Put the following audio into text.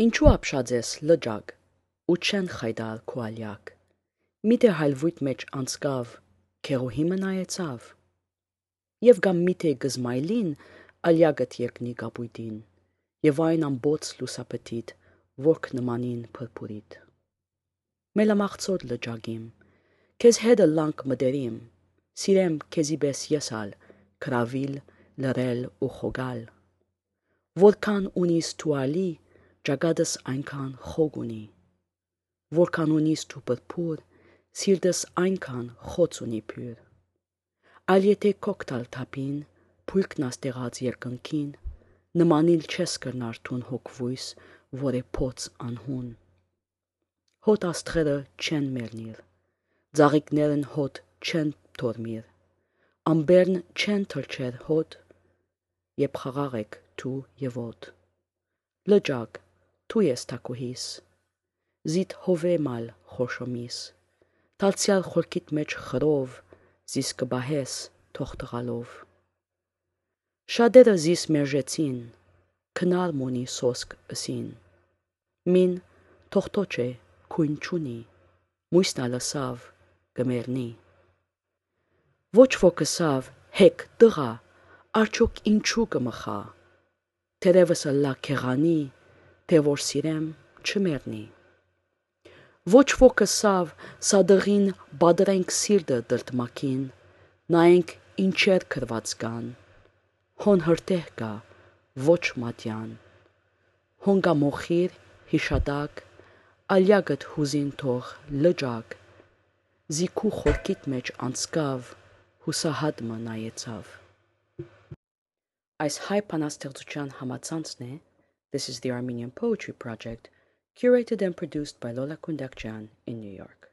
Ինչու ապշած ես լճակ, ու չեն խայդալ քո ալյակ, միթե հալվույթ մեջ անցկավ, քեղուհի մնայեցավ, և գամ միթե գզմայլին ալյակդ երկնի կապույտին, և այն ամբոց լուսապտիտ, որք նմանին փրփուրիտ։ Մելամաղցոտ լճագիմ, քեզ հետը լանք մտերիմ, սիրեմ քեզի պես եսալ, գրավել, լրել ու խոգալ, որքան ունիս դու ալի, ճակատս այնքան խոգ ունի, որքան ունիս դու փրփուր, սիրտս այնքան խոց ունի փյուր, այլ եթե կոկտալ թափին, փույլքն աստեղած երկնքին, նմանիլ չես կրնար թուն հոգվույս, որ է փոց անհուն։ Հոտ աստղերը չեն մեռնիլ, ծաղիկներն հոտ չեն թորմիր, ամբերն չեն թրջեր հոտ, երբ խաղաղ եք դու և ոտ։ Լճակ, դու ես թակուհիս, զիդ հովեմալ խորշոմիս, դարձյալ խորքիդ մեջ խրով, զիս կբահես թող տղալով։ Շատերը զիս մերժեցին, քնար մունի սոսկ ըսին, մին թողտոչ է, քույն չունի, մույսն ալսավ, կմեռնի։ Ոչ ոք ըսավ, հեկ տղա, արդյոք ինչու կմխա, թերևս ըլլա քեղանի, թե որ սիրեմ չմեռնի։ Ոչ ոք ըսավ, սա դղին պատրենք սիրտը դրդմակին, նայենք ինչեր գրված կան, հոն հրտեհ կա, ոչ մատյան, հոն կա մոխիր, հիշատակ, ալյակդ հուզին թող լճակ, զի քու խորքիդ մեջ անցկավ, հուսահատ մը նայեցավ։ Այս հայ բանաստեղծության համացանցն է This is the Armenian Poetry Project, curated and produced by Lola Kundakjian in New York.